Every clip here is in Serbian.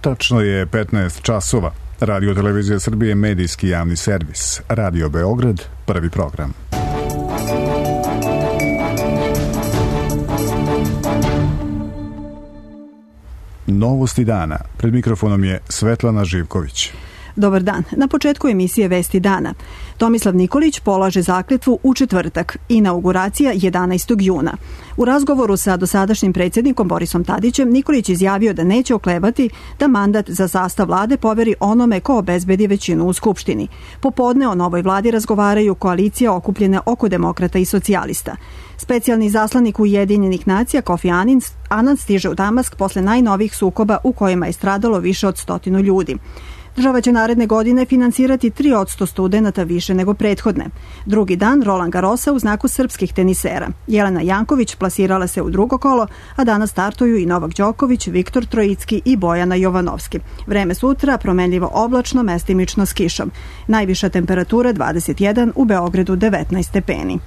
Tačno je 15 časova. Radio Televizija Srbije, medijski javni servis. Radio Beograd, prvi program. Novosti dana. Pred mikrofonom je Svetlana Živković. Dobar dan. Na početku emisije Vesti dana. Tomislav Nikolić polaže zakletvu u četvrtak, inauguracija 11. juna. U razgovoru sa dosadašnjim predsjednikom Borisom Tadićem, Nikolić izjavio da neće oklevati da mandat za sastav vlade poveri onome ko obezbedi većinu u Skupštini. Popodne o novoj vladi razgovaraju koalicija okupljene oko demokrata i socijalista. Specijalni zaslanik Ujedinjenih nacija Kofi Anan stiže u Damask posle najnovijih sukoba u kojima je stradalo više od 100 ljudi. Država će naredne godine finansirati 3% studenata više nego prethodne. Drugi dan Roland Garrosa u znaku srpskih tenisera. Jelena Janković plasirala se u drugo kolo, a danas startuju i Novak Đoković, Viktor Trojicki i Bojana Jovanovski. Vreme sutra promenljivo oblačno, mestimično s kišom. Najviša temperatura 21, u Beogradu 19 stepeni.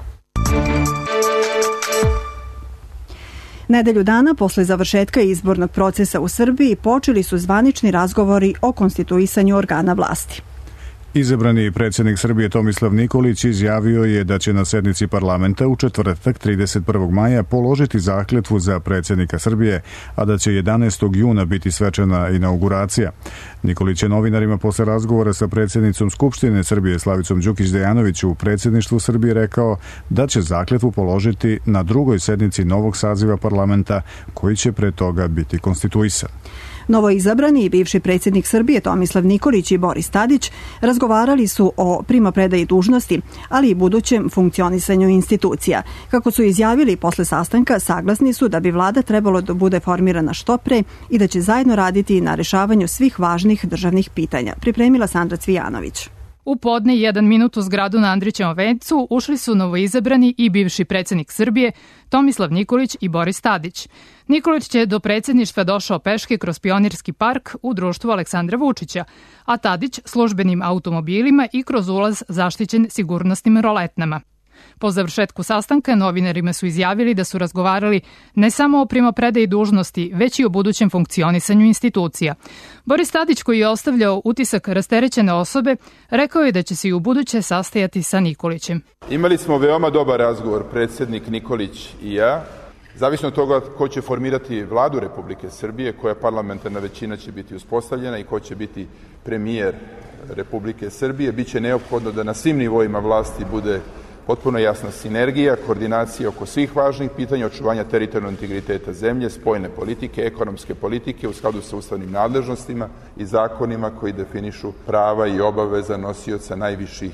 Nedelju dana posle završetka izbornog procesa u Srbiji počeli su zvanični razgovori o konstituisanju organa vlasti. Izabrani predsjednik Srbije Tomislav Nikolić izjavio je da će na sednici parlamenta u četvrtak 31. maja položiti zakletvu za predsjednika Srbije, a da će 11. juna biti svečana inauguracija. Nikolić je novinarima posle razgovora sa predsjednicom Skupštine Srbije Slavicom Đukić Dejanović u predsjedništvu Srbije rekao da će zakletvu položiti na drugoj sednici novog saziva parlamenta koji će pre toga biti konstituisan. Novoizabrani i bivši predsjednik Srbije Tomislav Nikolić i Boris Tadić razgovarali su o primopredaji dužnosti, ali i budućem funkcionisanju institucija. Kako su izjavili posle sastanka, saglasni su da bi vlada trebalo da bude formirana što pre i da će zajedno raditi na rešavanju svih važnih državnih pitanja. Pripremila Sandra Cvijanović. U podne 1 minut u zgradu na Andrićevom vencu ušli su novoizabrani i bivši predsjednik Srbije Tomislav Nikolić i Boris Tadić. Nikolić je do predsjedništva došao peške kroz Pionirski park u društvu Aleksandra Vučića, a Tadić službenim automobilima i kroz ulaz zaštićen sigurnosnim roletnama. Po završetku sastanka novinarima su izjavili da su razgovarali ne samo o primopredaji dužnosti, već i o budućem funkcionisanju institucija. Boris Tadić, koji je ostavljao utisak rasterećene osobe, rekao je da će se i u buduće sastajati sa Nikolićem. Imali smo veoma dobar razgovor, predsjednik Nikolić i ja. Zavisno od toga ko će formirati vladu Republike Srbije, koja parlamentarna većina će biti uspostavljena i ko će biti premijer Republike Srbije, biće neophodno da na svim nivoima vlasti bude potpuno jasna sinergija, koordinacija oko svih važnih pitanja, očuvanja teritorijalnog integriteta zemlje, spoljne politike, ekonomske politike u skladu sa ustavnim nadležnostima i zakonima koji definišu prava i obaveza nosioca najviših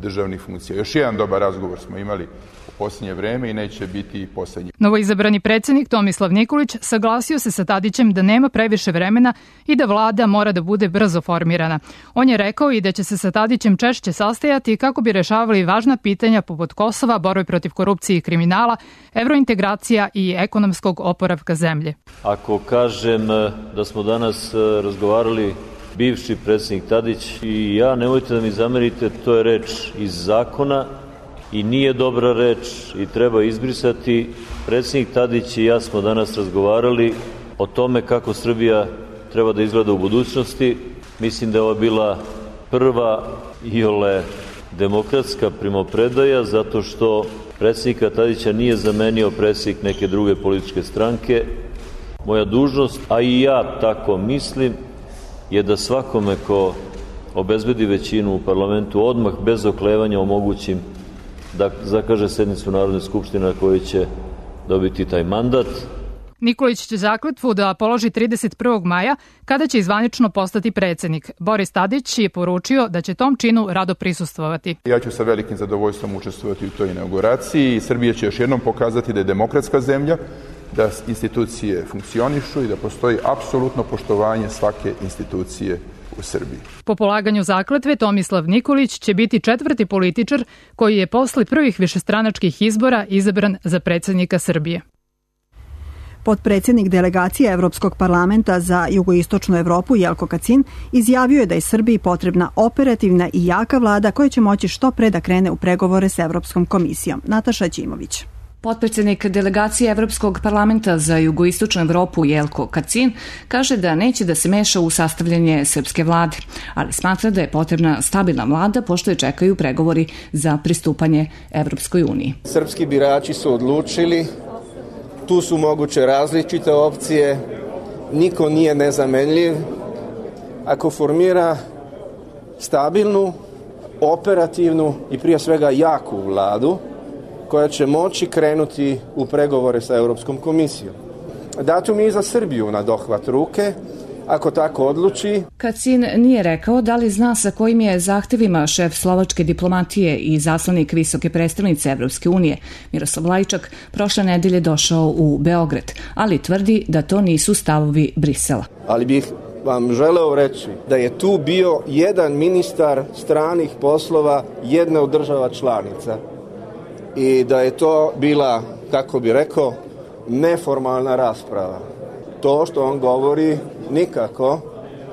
državnih funkcija. Još jedan dobar razgovor smo imali u posljednje vreme i neće biti posljednji. Novoizabrani predsjednik Tomislav Nikolić saglasio se sa Tadićem da nema previše vremena i da vlada mora da bude brzo formirana. On je rekao i da će se sa Tadićem češće sastajati kako bi rešavali važna pitanja poput Kosova, borbe protiv korupcije i kriminala, evrointegracija i ekonomskog oporavka zemlje. Ako kažem da smo danas razgovarali bivši predsjednik Tadić i ja, nemojte da mi zamerite, to je reč iz zakona i nije dobra reč i treba izbrisati. Predsjednik Tadić i ja smo danas razgovarali o tome kako Srbija treba da izgleda u budućnosti. Mislim da je ovo bila prva iole demokratska primopredaja, zato što predsjednika Tadića nije zamenio predsjednik neke druge političke stranke. Moja dužnost, a i ja tako mislim, je da svakome ko obezbedi većinu u parlamentu odmah bez oklevanja omogućim da zakaže sednicu Narodne skupštine na kojoj će dobiti taj mandat. Nikolić će zakletvu da položi 31. maja, kada će zvanično postati predsjednik. Boris Tadić je poručio da će tom činu rado prisustvovati. Ja ću sa velikim zadovoljstvom učestvovati u toj inauguraciji i Srbija će još jednom pokazati da je demokratska zemlja, da institucije funkcionišu i da postoji apsolutno poštovanje svake institucije u Srbiji. Po polaganju zakletve Tomislav Nikolić će biti 4. političar koji je posle prvih višestranačkih izbora izabran za predsjednika Srbije. Potpredsjednik delegacije Evropskog parlamenta za jugoistočnu Evropu Jelko Kacin izjavio je da je Srbiji potrebna operativna i jaka vlada koja će moći što pre da krene u pregovore s Evropskom komisijom. Nataša Ćimović. Potpredsjednik delegacije Evropskog parlamenta za jugoistočnu Evropu Jelko Kacin kaže da neće da se meša u sastavljanje srpske vlade, ali smatra da je potrebna stabilna vlada pošto je čekaju pregovori za pristupanje Evropskoj uniji. Srpski birači su odlučili, tu su moguće različite opcije, niko nije nezamenljiv. Ako formira stabilnu, operativnu i prije svega jaku vladu, koja će moći krenuti u pregovore sa Europskom komisijom. Datum je i za Srbiju na dohvat ruke, ako tako odluči. Kacin nije rekao da li zna sa kojim je zahtevima šef slovačke diplomatije i zaslanik visoke predstavnice Evropske unije Miroslav Lajčak prošle nedelje došao u Beograd, ali tvrdi da to nisu stavovi Brisela. Ali bih vam želeo reći da je tu bio jedan ministar stranih poslova jedne od država članica i da je to bila, kako bi rekao, neformalna rasprava. To što on govori nikako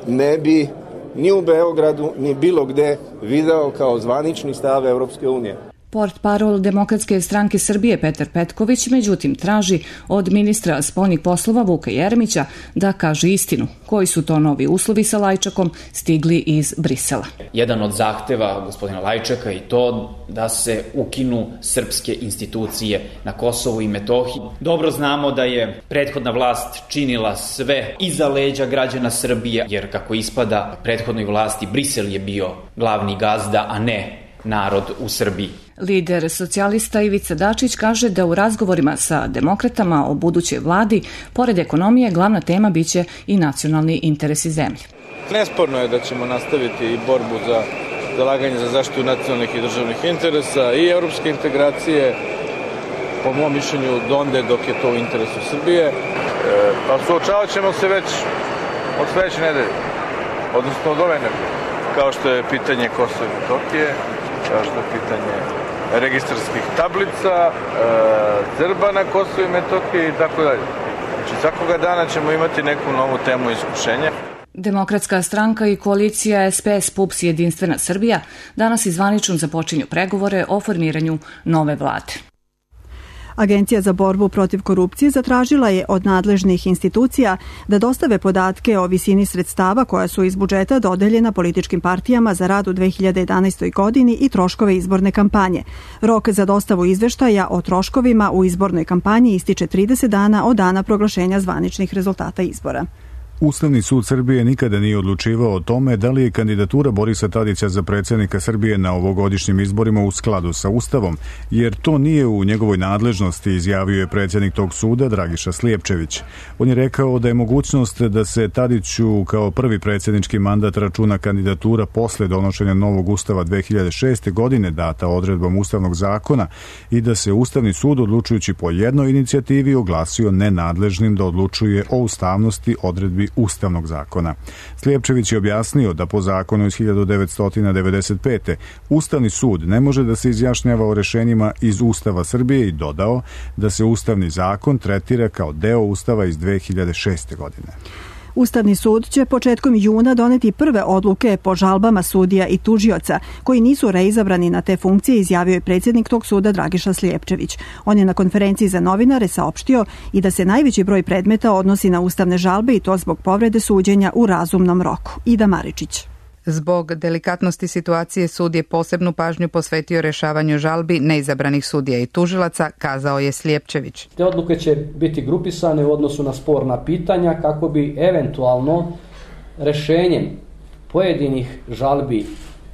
ne bi ni u Beogradu ni bilo gde video kao zvanični stav Evropske unije. Portparol Demokratske stranke Srbije Petar Petković međutim traži od ministra spoljnih poslova Vuka Jeremića da kaže istinu. Koji su to novi uslovi sa Lajčakom stigli iz Brisela? Jedan od zahteva gospodina Lajčaka je to da se ukinu srpske institucije na Kosovu i Metohiji. Dobro znamo da je prethodna vlast činila sve iza leđa građana Srbije, jer kako ispada prethodnoj vlasti Brisel je bio glavni gazda, a ne narod u Srbiji. Lider socijalista Ivica Dačić kaže da u razgovorima sa demokratama o budućoj vladi, pored ekonomije, glavna tema biće i nacionalni interesi zemlje. Nesporno je da ćemo nastaviti i borbu za zalaganje za zaštitu nacionalnih i državnih interesa i evropske integracije, po mom mišljenju, donde dok je to u interesu Srbije. Pa suočavat ćemo se već od sledeće nedelje, odnosno od ove nedelje, kao što je pitanje Kosova i Metohije, kao što je pitanje registarskih tablica, Srba na Kosovu i Metohiji i tako dalje. Znači, svakoga dana ćemo imati neku novu temu iskušenja. Demokratska stranka i koalicija SPS PUPS Jedinstvena Srbija danas izvanično započinju pregovore o formiranju nove vlade. Agencija za borbu protiv korupcije zatražila je od nadležnih institucija da dostave podatke o visini sredstava koja su iz budžeta dodeljena političkim partijama za rad u 2011. godini i troškove izborne kampanje. Rok za dostavu izveštaja o troškovima u izbornoj kampanji ističe 30 dana od dana proglašenja zvaničnih rezultata izbora. Ustavni sud Srbije nikada nije odlučivao o tome da li je kandidatura Borisa Tadića za predsjednika Srbije na ovogodišnjim izborima u skladu sa Ustavom, jer to nije u njegovoj nadležnosti, izjavio je predsjednik tog suda Dragiša Slijepčević. On je rekao da je mogućnost da se Tadiću kao prvi predsjednički mandat računa kandidatura posle donošenja novog Ustava 2006. godine data odredbom Ustavnog zakona i da se Ustavni sud odlučujući po jednoj inicijativi oglasio nenadležnim da odlučuje o ustavnosti odredbi Ustavnog zakona. Slijepčević je objasnio da po zakonu iz 1995. Ustavni sud ne može da se izjašnjava o rešenjima iz Ustava Srbije i dodao da se Ustavni zakon tretira kao deo Ustava iz 2006. godine. Ustavni sud će početkom juna doneti prve odluke po žalbama sudija i tužioca koji nisu reizabrani na te funkcije, izjavio je predsjednik tog suda Dragiša Slijepčević. On je na konferenciji za novinare saopštio i da se najveći broj predmeta odnosi na ustavne žalbe i to zbog povrede suđenja u razumnom roku. Ida Maričić. Zbog delikatnosti situacije sud je posebnu pažnju posvetio rešavanju žalbi neizabranih sudija i tužilaca, kazao je Slijepčević. Te odluke će biti grupisane u odnosu na sporna pitanja kako bi eventualno rešenjem pojedinih žalbi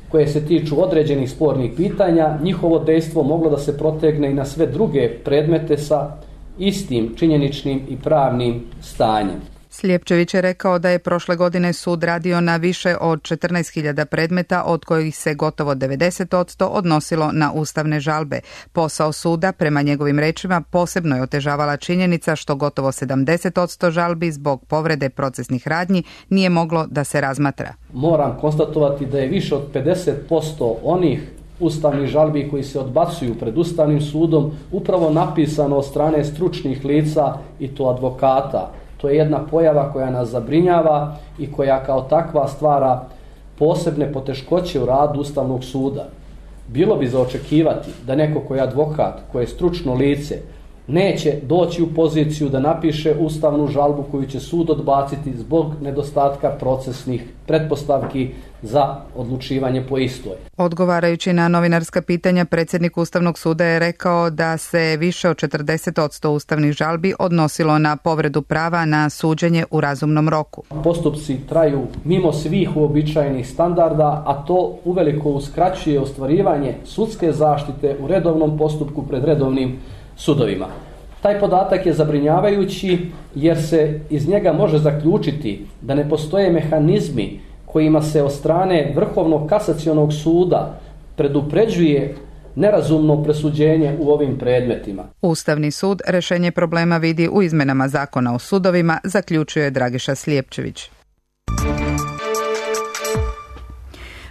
koje se tiču određenih spornih pitanja, njihovo dejstvo moglo da se protegne i na sve druge predmete sa istim činjeničnim i pravnim stanjem. Slijepčević je rekao da je prošle godine sud radio na više od 14.000 predmeta, od kojih se gotovo 90% odnosilo na ustavne žalbe. Posao suda, prema njegovim rečima, posebno je otežavala činjenica što gotovo 70% žalbi zbog povrede procesnih radnji nije moglo da se razmatra. Moram konstatovati da je više od 50% onih ustavnih žalbi koji se odbacuju pred Ustavnim sudom upravo napisano od strane stručnih lica i to advokata. To je jedna pojava koja nas zabrinjava i koja kao takva stvara posebne poteškoće u radu Ustavnog suda. Bilo bi za očekivati da neko ko je advokat, ko je stručno lice, neće doći u poziciju da napiše ustavnu žalbu koju će sud odbaciti zbog nedostatka procesnih pretpostavki za odlučivanje po istoj. Odgovarajući na novinarska pitanja, predsjednik Ustavnog suda je rekao da se više od 40% ustavnih žalbi odnosilo na povredu prava na suđenje u razumnom roku. Postupci traju mimo svih uobičajenih standarda, a to uveliko uskraćuje ostvarivanje sudske zaštite u redovnom postupku pred redovnim sudovima. Taj podatak je zabrinjavajući jer se iz njega može zaključiti da ne postoje mehanizmi kojima se od strane Vrhovnog kasacionog suda predupređuje nerazumno presuđenje u ovim predmetima. Ustavni sud rješenje problema vidi u izmenama zakona o sudovima, zaključuje Dragiša Slijepčević.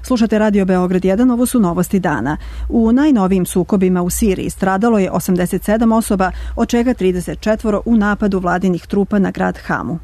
Slušate Radio Beograd 1, ovo su novosti dana. U najnovijim sukobima u Siriji stradalo je 87 osoba, od čega 34 u napadu vladinih trupa na grad Hamu.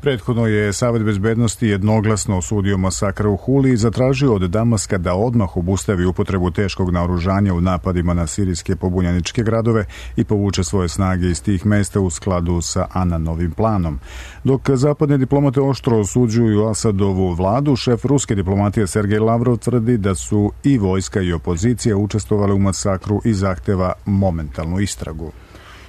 Prethodno je Savet bezbednosti jednoglasno osudio masakr u Huli i zatražio od Damaska da odmah obustavi upotrebu teškog naoružanja u napadima na sirijske pobunjeničke gradove i povuče svoje snage iz tih mesta u skladu sa Ananovim planom. Dok zapadne diplomate oštro osuđuju Asadovu vladu, šef ruske diplomatije Sergej Lavrov tvrdi da su i vojska i opozicija učestvovale u masakru i zahteva momentalnu istragu.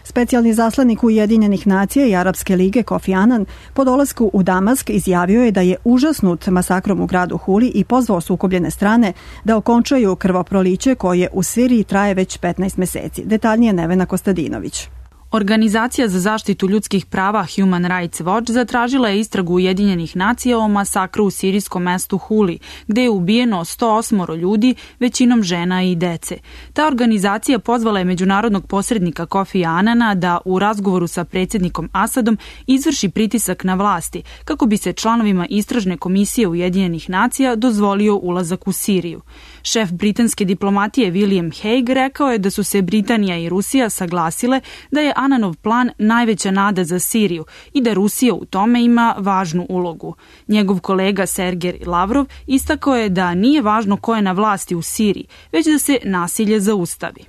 Specijalni zaslanik Ujedinjenih nacija i Arapske lige Kofi Annan po dolasku u Damask izjavio je da je užasnut masakrom u gradu Huli i pozvao sukobljene strane da okončaju krvoproliće koje u Siriji traje već 15 meseci. Detaljnije Nevena Kostadinović. Organizacija za zaštitu ljudskih prava Human Rights Watch zatražila je istragu Ujedinjenih nacija o masakru u sirijskom mestu Huli, gde je ubijeno 108 ljudi, većinom žena i dece. Ta organizacija pozvala je međunarodnog posrednika Kofi Annana da u razgovoru sa predsjednikom Asadom izvrši pritisak na vlasti, kako bi se članovima istražne komisije Ujedinjenih nacija dozvolio ulazak u Siriju. Šef britanske diplomatije William Hague rekao je da su se Britanija i Rusija saglasile da je Annanov plan najveća nada za Siriju i da Rusija u tome ima važnu ulogu. Njegov kolega Sergej Lavrov istakao je da nije važno ko je na vlasti u Siriji, već da se nasilje zaustavi.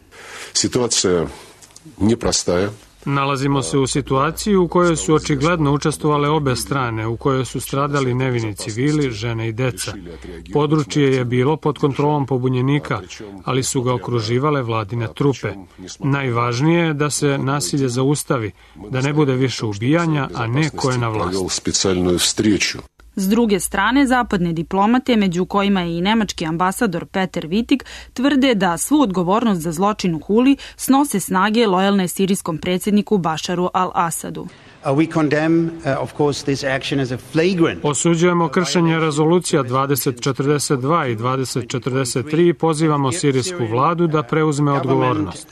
Situacija nije prostaja. Nalazimo se u situaciji u kojoj su očigledno učestvovale obe strane, u kojoj su stradali nevini civili, žene i deca. Područje je bilo pod kontrolom pobunjenika, ali su ga okruživale vladine trupe. Najvažnije je da se nasilje zaustavi, da ne bude više ubijanja, a ne ko je na vlasti. S druge strane, zapadne diplomate, među kojima je i nemački ambasador Peter Wittig, tvrde da svu odgovornost za zločin u Huli snose snage lojalne sirijskom predsjedniku Bašaru al-Asadu. Osuđujemo kršenje rezolucija 2042 i 2043 i pozivamo sirijsku vladu da preuzme odgovornost.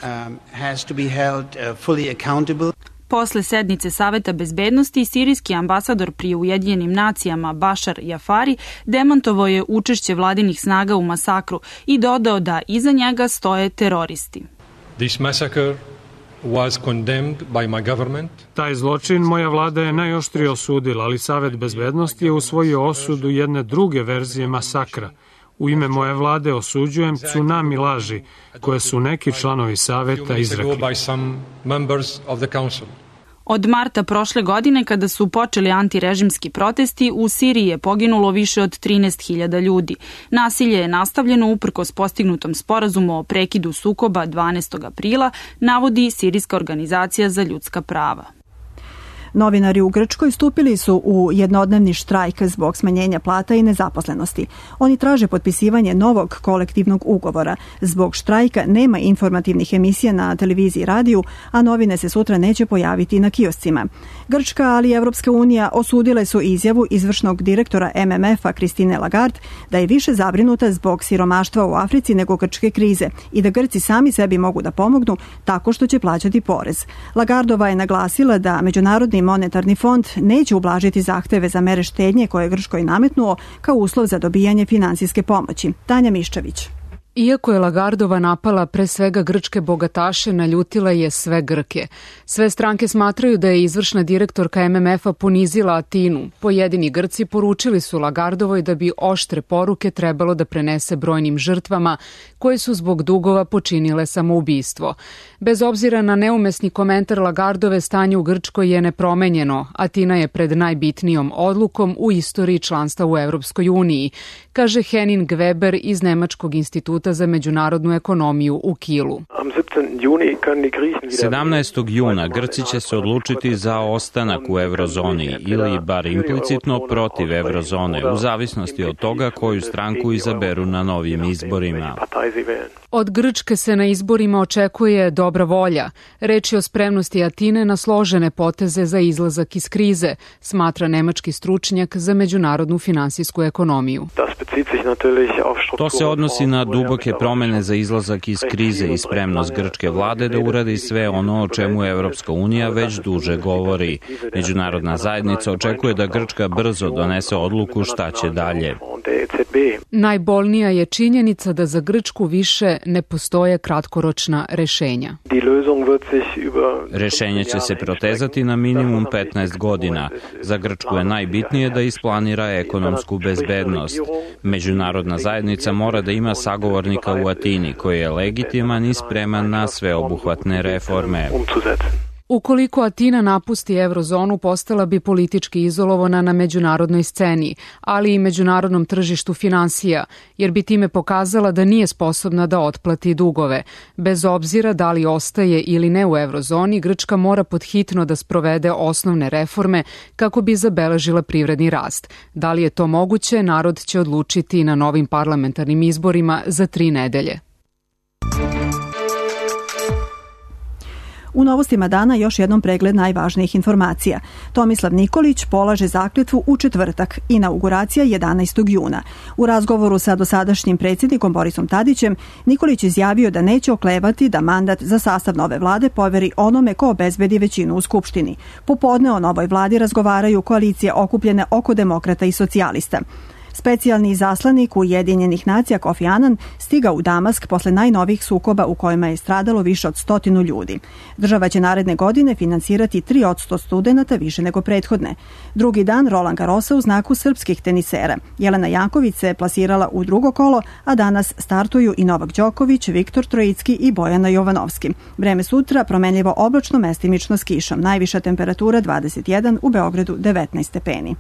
Posle sednice Saveta bezbednosti, sirijski ambasador pri Ujedinjenim nacijama Bašar Jafari demantovao je učešće vladinih snaga u masakru i dodao da iza njega stoje teroristi. Taj zločin moja vlada je najoštrije osudila, ali Savet bezbednosti je usvojio osudu jedne druge verzije masakra. U ime moje vlade osuđujem tsunami laži koje su neki članovi Saveta izrekli. Od marta prošle godine, kada su počeli antirežimski protesti, u Siriji je poginulo više od 13.000 ljudi. Nasilje je nastavljeno uprkos postignutom sporazumu o prekidu sukoba 12. aprila, navodi Sirijska organizacija za ljudska prava. Novinari u Grčkoj stupili su u jednodnevni štrajk zbog smanjenja plata i nezaposlenosti. Oni traže potpisivanje novog kolektivnog ugovora. Zbog štrajka nema informativnih emisija na televiziji i radiju, a novine se sutra neće pojaviti na kioscima. Grčka, ali i Evropska unija osudile su izjavu izvršnog direktora MMF-a Christine Lagarde da je više zabrinuta zbog siromaštva u Africi nego grčke krize i da Grci sami sebi mogu da pomognu tako što će plaćati porez. Lagardova je naglasila da Međunarodni monetarni fond neće ublažiti zahteve za mere štednje koje je Grčkoj nametnuo kao uslov za dobijanje finansijske pomoći. Tanja Miščević. Iako je Lagardova napala pre svega grčke bogataše, naljutila je sve Grke. Sve stranke smatraju da je izvršna direktorka MMF-a ponizila Atinu. Pojedini Grci poručili su Lagardovoj da bi oštre poruke trebalo da prenese brojnim žrtvama koje su zbog dugova počinile samoubistvo. Bez obzira na neumesni komentar Lagardove, stanje u Grčkoj je nepromenjeno. Atina je pred najbitnijom odlukom u istoriji članstva u Evropskoj uniji, kaže Henning Weber iz Nemačkog instituta za međunarodnu ekonomiju u Kielu. 17. juna Grci će se odlučiti za ostanak u eurozoni ili bar implicitno protiv eurozone, u zavisnosti od toga koju stranku izaberu na novim izborima. Od Grčke se na izborima očekuje dobra volja. Reč je o spremnosti Atine na složene poteze za izlazak iz krize, smatra nemački stručnjak za međunarodnu finansijsku ekonomiju. To se odnosi na duboke promene za izlazak iz krize i spremnost grčke vlade da uradi sve ono o čemu Evropska unija već duže govori. Međunarodna zajednica očekuje da Grčka brzo donese odluku šta će dalje. Najbolnija je činjenica da za Grčku više ne postoje kratkoročna rešenja. Rešenje će se protezati na minimum 15 godina. Za Grčku je najbitnije da isplanira ekonomsku bezbednost. Međunarodna zajednica mora da ima sagovornika u Atini koji je legitiman i spreman na sveobuhvatne reforme. Ukoliko Atina napusti eurozonu, postala bi politički izolovana na međunarodnoj sceni, ali i međunarodnom tržištu finansija, jer bi time pokazala da nije sposobna da otplati dugove. Bez obzira da li ostaje ili ne u eurozoni, Grčka mora podhitno da sprovede osnovne reforme kako bi zabeležila privredni rast. Da li je to moguće, narod će odlučiti na novim parlamentarnim izborima za 3 nedelje. U novostima dana još jednom pregled najvažnijih informacija. Tomislav Nikolić polaže zakletvu u četvrtak, inauguracija 11. juna. U razgovoru sa dosadašnjim predsjednikom Borisom Tadićem, Nikolić izjavio da neće oklevati da mandat za sastav nove vlade poveri onome ko obezbedi većinu u Skupštini. Popodne o novoj vladi razgovaraju koalicije okupljene oko demokrata i socijalista. Specijalni izaslanik Ujedinjenih nacija Kofi Anan stigao u Damask posle najnovijih sukoba u kojima je stradalo više od 100 ljudi. Država će naredne godine finansirati 3% studenata više nego prethodne. Drugi dan Roland Garrosa u znaku srpskih tenisera. Jelena Janković se plasirala u drugo kolo, a danas startuju i Novak Đoković, Viktor Trojicki i Bojana Jovanovski. Vreme sutra promenljivo oblačno, mestimično s kišom. Najviša temperatura 21, u Beogradu 19 stepeni.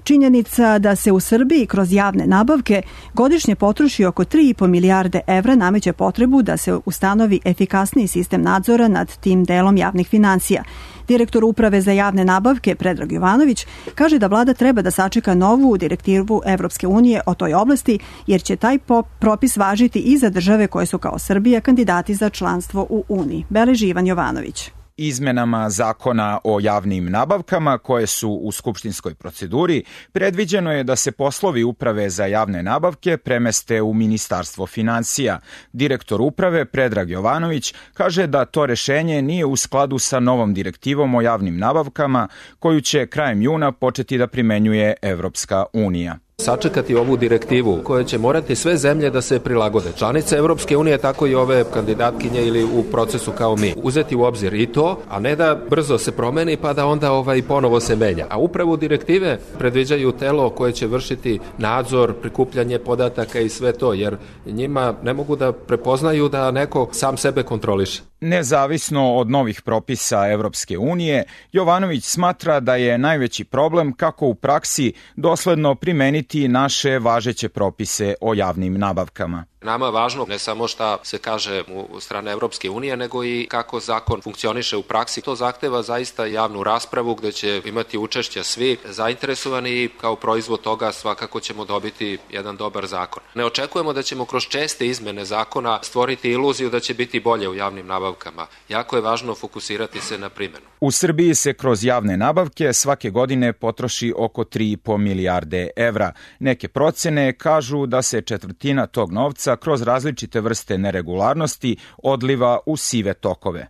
Činjenica da se u Srbiji kroz javne nabavke godišnje potroši oko 3,5 milijarde evra nameće potrebu da se ustanovi efikasniji sistem nadzora nad tim delom javnih finansija. Direktor Uprave za javne nabavke Predrag Jovanović kaže da vlada treba da sačeka novu direktivu Evropske unije o toj oblasti, jer će taj propis važiti i za države koje su kao Srbija kandidati za članstvo u Uniji. Beleži Ivan Jovanović. Izmenama zakona o javnim nabavkama koje su u skupštinskoj proceduri predviđeno je da se poslovi Uprave za javne nabavke premeste u Ministarstvo finansija. Direktor Uprave Predrag Jovanović kaže da to rešenje nije u skladu sa novom direktivom o javnim nabavkama koju će krajem juna početi da primenjuje Evropska unija. Sačekati ovu direktivu koja će morati sve zemlje da se prilagode. Članice Evropske unije, tako i ove kandidatkinje ili u procesu kao mi. Uzeti u obzir i to, a ne da brzo se promeni pa da onda ponovo se menja. A upravo direktive predviđaju telo koje će vršiti nadzor, prikupljanje podataka i sve to, jer njima ne mogu da prepoznaju da neko sam sebe kontroliše. Nezavisno od novih propisa Evropske unije, Jovanović smatra da je najveći problem kako u praksi dosledno primeniti naše važeće propise o javnim nabavkama. Nama je važno ne samo šta se kaže u strane Evropske unije, nego i kako zakon funkcioniše u praksi. To zahteva zaista javnu raspravu gde će imati učešća svi zainteresovani i kao proizvod toga svakako ćemo dobiti jedan dobar zakon. Ne očekujemo da ćemo kroz česte izmene zakona stvoriti iluziju da će biti bolje u javnim nabavkama. Jako je važno fokusirati se na primjenu. U Srbiji se kroz javne nabavke svake godine potroši oko 3,5 milijarde evra. Neke procene kažu da se četvrtina tog novca kroz različite vrste neregularnosti odliva u sive tokove.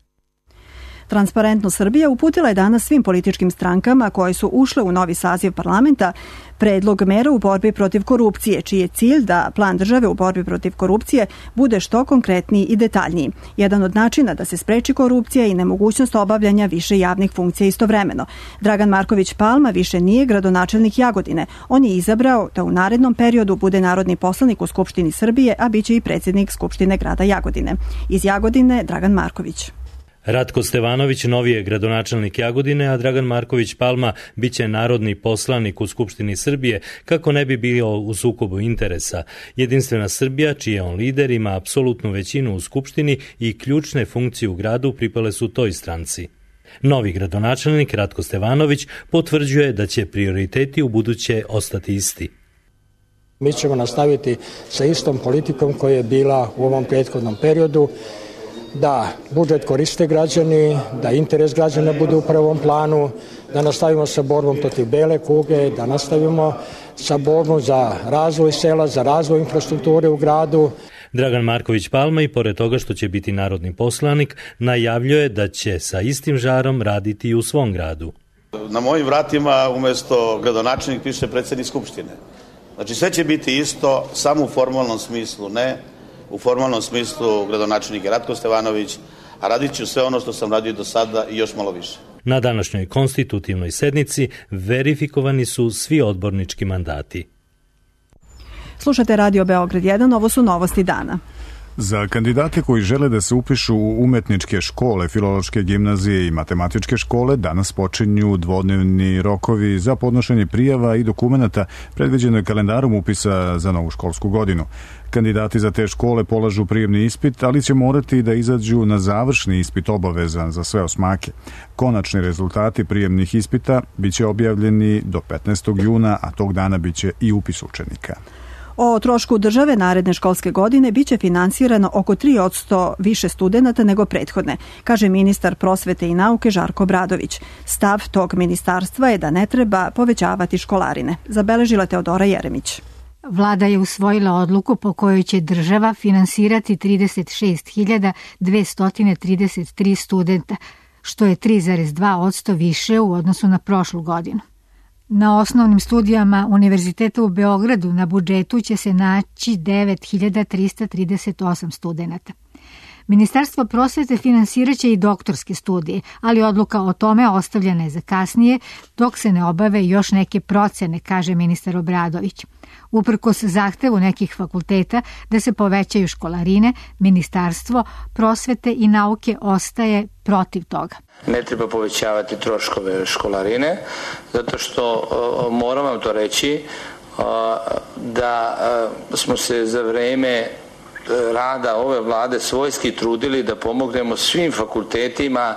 Transparentno Srbija uputila je danas svim političkim strankama koje su ušle u novi saziv parlamenta predlog mera u borbi protiv korupcije, čiji je cilj da plan države u borbi protiv korupcije bude što konkretniji i detaljniji. Jedan od načina da se spreči korupcija i nemogućnost obavljanja više javnih funkcija istovremeno. Dragan Marković Palma više nije gradonačelnik Jagodine. On je izabrao da u narednom periodu bude narodni poslanik u Skupštini Srbije, a biće i predsjednik Skupštine grada Jagodine. Iz Jagodine, Dragan Marković. Ratko Stevanović novi je gradonačelnik Jagodine, a Dragan Marković Palma biće narodni poslanik u Skupštini Srbije kako ne bi bio u sukobu interesa. Jedinstvena Srbija, čiji je on lider, ima apsolutnu većinu u Skupštini i ključne funkcije u gradu pripale su toj stranci. Novi gradonačelnik Ratko Stevanović potvrđuje da će prioriteti u buduće ostati isti. Mi ćemo nastaviti sa istom politikom koja je bila u ovom prethodnom periodu, da budžet koriste građani, da interes građana bude u prvom planu, da nastavimo sa borbom protiv bele kuge, da nastavimo sa borbom za razvoj sela, za razvoj infrastrukture u gradu. Dragan Marković Palma i pored toga što će biti narodni poslanik, najavljuje da će sa istim žarom raditi i u svom gradu. Na mojim vratima umesto gradonačelnik piše predsjednik Skupštine. Znači sve će biti isto, samo u formalnom smislu ne. U formalnom smislu gradonačelnik je Ratko Stevanović, a radit ću sve ono što sam radio do sada i još malo više. Na današnjoj konstitutivnoj sednici verifikovani su svi odbornički mandati. Slušate Radio Beograd 1, ovo su novosti dana. Za kandidate koji žele da se upišu u umetničke škole, filološke gimnazije i matematičke škole danas počinju dvodnevni rokovi za podnošenje prijava i dokumenata predviđeno je kalendarom upisa za novu školsku godinu. Kandidati za te škole polažu prijemni ispit, ali će morati da izađu na završni ispit obavezan za sve osmake. Konačni rezultati prijemnih ispita biće objavljeni do 15. juna, a tog dana biće i upis učenika. O trošku države naredne školske godine biće finansirano oko 3% više studenata nego prethodne, kaže ministar prosvete i nauke Žarko Obradović. Stav tog ministarstva je da ne treba povećavati školarine, zabeležila Teodora Jeremić. Vlada je usvojila odluku po kojoj će država finansirati 36.233 studenta, što je 3,2% više u odnosu na prošlu godinu. Na osnovnim studijama Univerziteta u Beogradu na budžetu će se naći 9.338 studenata. Ministarstvo prosvete finansiraće i doktorske studije, ali odluka o tome ostavljena je za kasnije, dok se ne obave još neke procene, kaže ministar Obradović. Uprkos zahtevu nekih fakulteta da se povećaju školarine, Ministarstvo prosvete i nauke ostaje protiv toga. Ne treba povećavati troškove školarine, zato što moram vam to reći da smo se za vreme rada ove vlade svojski trudili da pomognemo svim fakultetima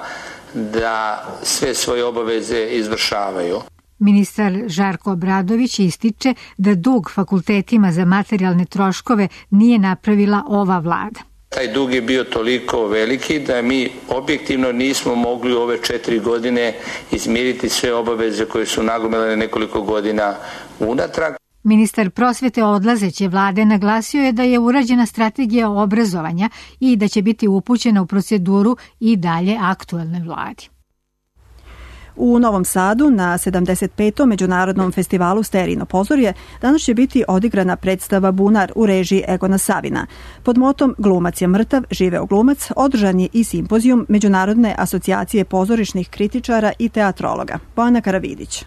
da sve svoje obaveze izvršavaju. Ministar Žarko Obradović ističe da dug fakultetima za materijalne troškove nije napravila ova vlada. Taj dug je bio toliko veliki da mi objektivno nismo mogli u ove 4 godine izmiriti sve obaveze koje su nagomilane nekoliko godina unatrag. Ministar prosvete odlazeće vlade naglasio je da je urađena strategija obrazovanja i da će biti upućena u proceduru i dalje aktuelnoj vladi. U Novom Sadu na 75. Međunarodnom festivalu Sterijino pozorje danas će biti odigrana predstava Bunar u režiji Egona Savina. Pod motom Glumac je mrtav, živeo glumac održan je i simpozijum Međunarodne asocijacije pozorišnih kritičara i teatrologa. Bojana Karavidić.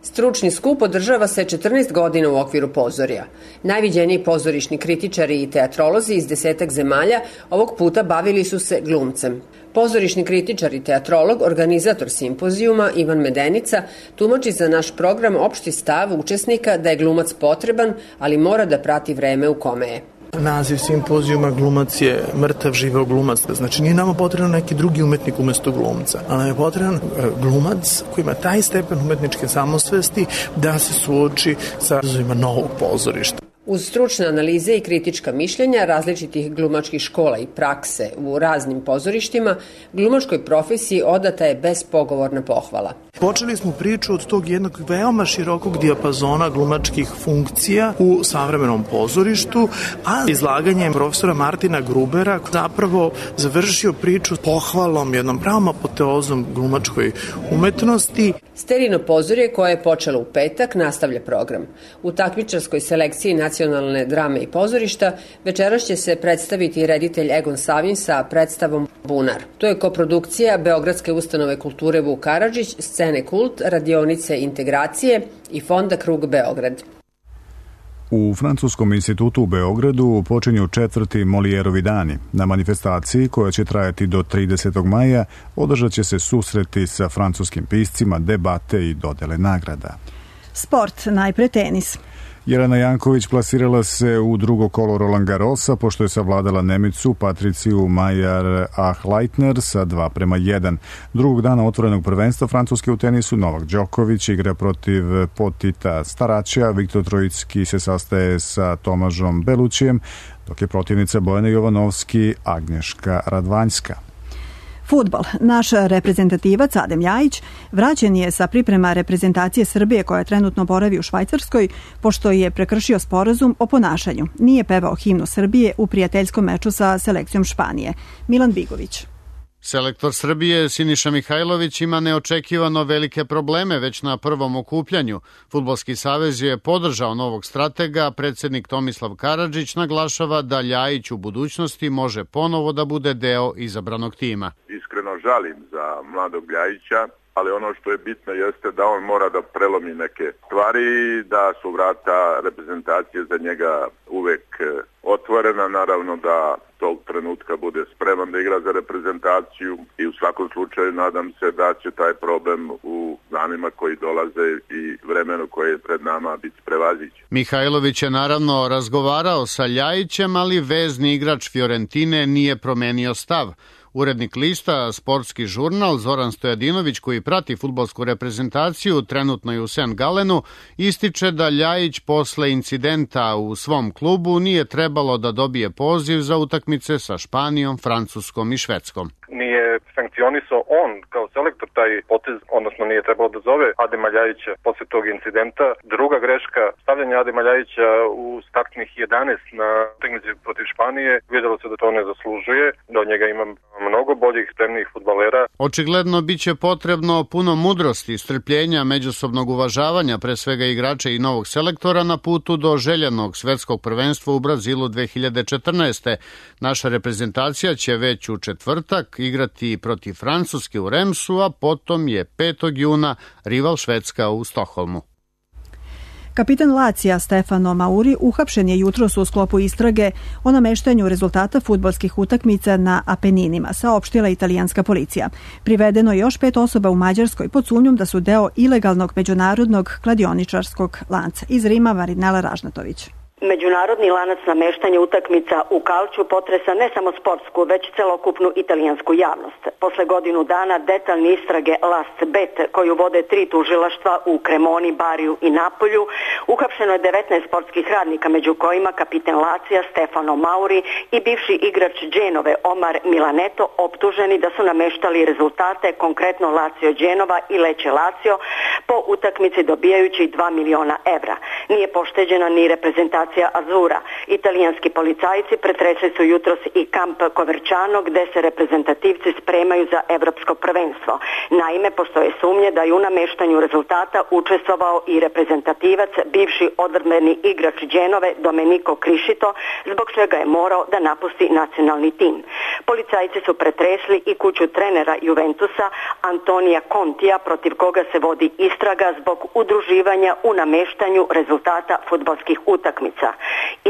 Stručni skup održava se 14 godina u okviru pozorja. Najviđeniji pozorišni kritičari i teatrolozi iz 10 zemalja ovog puta bavili su se glumcem. Pozorišni kritičar i teatrolog, organizator simpozijuma Ivan Medenica, tumači za naš program opšti stav učesnika da je glumac potreban, ali mora da prati vreme u kome je. Naziv simpozijuma Glumac je mrtav, živeo glumac. Znači nije nama potreban neki drugi umetnik umesto glumca, ali nam je potreban glumac koji ima taj stepen umetničke samosvesti da se suoči sa izazovima novog pozorišta. Uz stručne analize i kritička mišljenja različitih glumačkih škola i prakse u raznim pozorištima, glumačkoj profesiji odata je bespogovorna pohvala. Počeli smo priču od tog jednog veoma širokog dijapazona glumačkih funkcija u savremenom pozorištu, a izlaganjem profesora Martina Grubera zapravo završio priču pohvalom, jednom pravom apoteozom glumačkoj umetnosti. Sterijno pozorje koje je počelo u petak nastavlja program. U takmičarskoj selekciji nacionalne drame i pozorišta večeras će se predstaviti reditelj Egon Savin sa predstavom Bunar. To je koprodukcija Beogradske ustanove kulture Vuk Karadžić, Scene Kult, Radionice integracije i Fonda Krug Beograd. U Francuskom institutu u Beogradu počinju 4. Molijerovi dani. Na manifestaciji, koja će trajati do 30. maja, održat će se susreti sa francuskim piscima, debate i dodele nagrada. Sport, najpre tenis. Jelena Janković plasirala se u drugo kolo Roland Garrosa pošto je savladala Nemicu Patriciju Mayer-Achleitner sa 2:1. Drugog dana otvorenog prvenstva Francuske u tenisu Novak Đoković igra protiv Potita Staraća, Viktor Trojicki se sastaje sa Tomažom Belućijem, dok je protivnica Bojana Jovanovski Agnješka Radvanjska. Fudbal. Naš reprezentativac Adem Ljajić vraćen je sa priprema reprezentacije Srbije koja trenutno boravi u Švajcarskoj, pošto je prekršio sporazum o ponašanju. Nije pevao himnu Srbije u prijateljskom meču sa selekcijom Španije. Milan Bigović. Selektor Srbije Siniša Mihajlović ima neočekivano velike probleme već na prvom okupljanju. Fudbalski savez je podržao novog stratega, predsednik Tomislav Karadžić naglašava da Ljajić u budućnosti može ponovo da bude deo izabranog tima. Iskreno žalim za mladog Ljajića, ali ono što je bitno jeste da on mora da prelomi neke stvari, da su vrata reprezentacije za njega uvek otvorena, naravno da tog trenutka bude spreman da igra za reprezentaciju i u svakom slučaju nadam se da će taj problem u danima koji dolaze i vremenu koje je pred nama biti prevaziđen. Mihajlović je naravno razgovarao sa Ljajićem, ali vezni igrač Fiorentine nije promenio stav. Urednik lista Sportski žurnal Zoran Stojadinović, koji prati fudbalsku reprezentaciju trenutno i u St. Galenu, ističe da Ljajić posle incidenta u svom klubu nije trebalo da dobije poziv za utakmice sa Španijom, Francuskom i Švedskom. Nije sankcionisao on kao selektor taj potez, odnosno nije trebalo da zove Adema Ljajića posle tog incidenta. Druga greška, stavljanje Adema Ljajića u startnih 11 na utakmici protiv Španije, vidjelo se da to ne zaslužuje, da od njega ima mnogo boljih, spremnijih fudbalera. Očigledno biće potrebno puno mudrosti, strpljenja, međusobnog uvažavanja, pre svega igrača i novog selektora na putu do željenog svetskog prvenstva u Brazilu 2014. Naša reprezentacija će već u četvrtak igrati protiv Francuske u Remsu, a potom je 5. juna rival Švedska u Stokholmu. Kapitan Lacija Stefano Mauri uhapšen je jutros u sklopu istrage o nameštanju rezultata fudbalskih utakmica na Apeninima, saopštila italijanska policija. Privedeno je još 5 osoba u Mađarskoj pod sumnjom da su deo ilegalnog međunarodnog kladioničarskog lanca. Iz Rima Marinela Ražnatović. Međunarodni lanac nameštanja utakmica u Kalču potresa ne samo sportsku, već celokupnu italijansku javnost. Posle godinu dana detaljne istrage Last Bet, koju vode 3 tužilaštva u Kremoni, Bariju i Napolju, uhapšeno je 19 sportskih radnika, među kojima kapitan Lacija Stefano Mauri i bivši igrač Dženove Omar Milaneto, optuženi da su nameštali rezultate, konkretno Lazio Dženova i Lecce Lazio, po utakmici dobijajući 2 miliona evra. Nije pošteđena ni reprezentacija Azura. Italijanski policajci pretresli su jutros i kamp Coverciano gde se reprezentativci spremaju za evropsko prvenstvo. Naime, postoje sumnje da je u nameštanju rezultata učestvovao i reprezentativac, bivši odbrambeni igrač Dženove Domenico Criscito, zbog čega je morao da napusti nacionalni tim. Policajci su pretresli i kuću trenera Juventusa Antonija Contija, protiv koga se vodi istraga zbog udruživanja u nameštanju rezultata fudbalskih utakmica.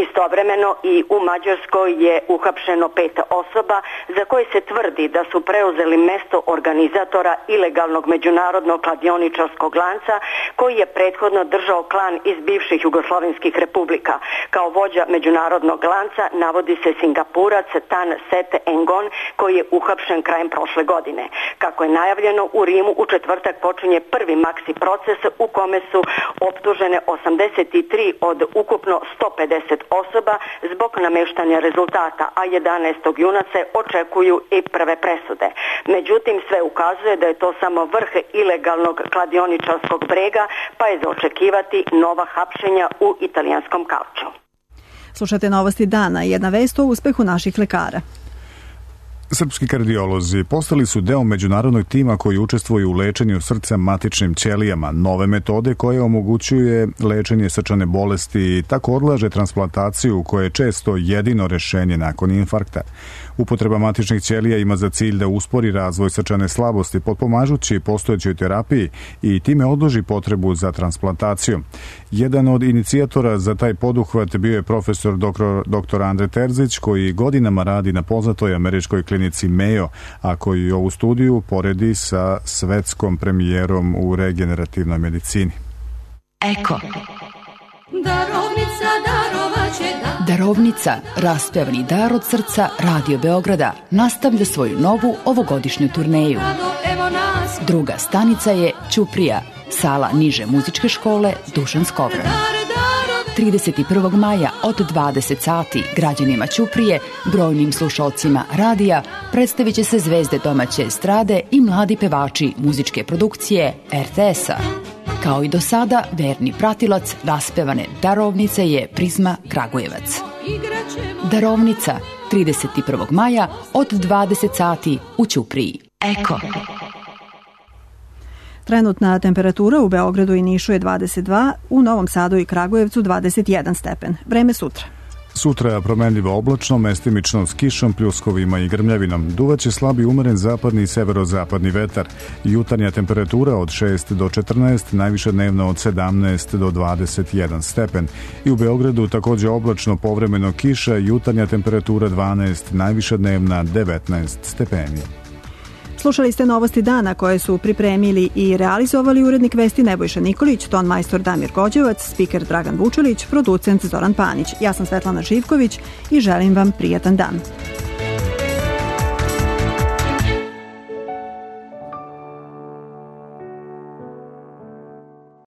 Istovremeno i u Mađarskoj je uhapšeno 5 osoba za koje se tvrdi da su preuzeli mesto organizatora ilegalnog međunarodnog kladioničarskog lanca koji je prethodno držao klan iz bivših jugoslovenskih republika. Kao vođa međunarodnog lanca navodi se Singapurac Tan Set Engon koji je uhapšen krajem prošle godine. Kako je najavljeno, u Rimu u četvrtak počinje prvi maksi proces u kome su optužene 83 od ukupno 150 osoba zbog nameštanja rezultata, a 11. juna se očekuju i prve presude. Međutim, sve ukazuje da je to samo vrh ilegalnog kladioničarskog brega, pa je za očekivati nova hapšenja u italijanskom Calciu. Slušate Novosti dana, jedna vest o uspehu naših lekara. Srpski kardiolozi postali su deo međunarodnog tima koji učestvuju u lečenju srca matičnim ćelijama, nove metode koje omogućuje lečenje srčane bolesti i tako odlaže transplantaciju koja je često jedino rešenje nakon infarkta. Upotreba matičnih ćelija ima za cilj da uspori razvoj srčane slabosti potpomažući postojećoj terapiji i time odloži potrebu za transplantacijom. Jedan od inicijatora za taj poduhvat bio je profesor dr. Andre Terzić koji godinama radi na poznatoj američkoj klinici Mayo, a koji ovu studiju poredi sa svetskom premijerom u regenerativnoj medicini. Eko. Darovnica, raspevani dar od srca Radio Beograda, nastavlja svoju novu ovogodišnju turneju. Druga stanica je Ćuprija, sala niže muzičke škole Dušan Skovran. 31. maja od 20 sati građanima Ćuprije, brojnim slušalcima radija, predstavit će se zvezde domaće estrade i mladi pevači muzičke produkcije RTS-a. Kao i do sada, verni pratilac raspevane Darovnice je Prizma Kragujevac. Darovnica, 31. maja od 20 sati u Ćupriji. Eko. Trenutna temperatura u Beogradu i Nišu je 22, u Novom Sadu i Kragujevcu 21 stepen. Vreme sutra. Sutra promenljivo oblačno, mestimično s kišom, pljuskovima i grmljavinom. Duvaće slabi umeren zapadni i severozapadni vetar. Jutarnja temperatura od 6 do 14, najviša dnevna od 17 do 21 stepen. I u Beogradu takođe oblačno, povremeno kiša, jutarnja temperatura 12, najviša dnevna 19 stepeni. Slušali ste Novosti dana koje su pripremili i realizovali urednik vesti Nebojša Nikolić, ton majstor Damir Gođevac, spiker Dragan Vučelić, producent Zoran Panić. Ja sam Svetlana Živković i želim vam prijatan dan.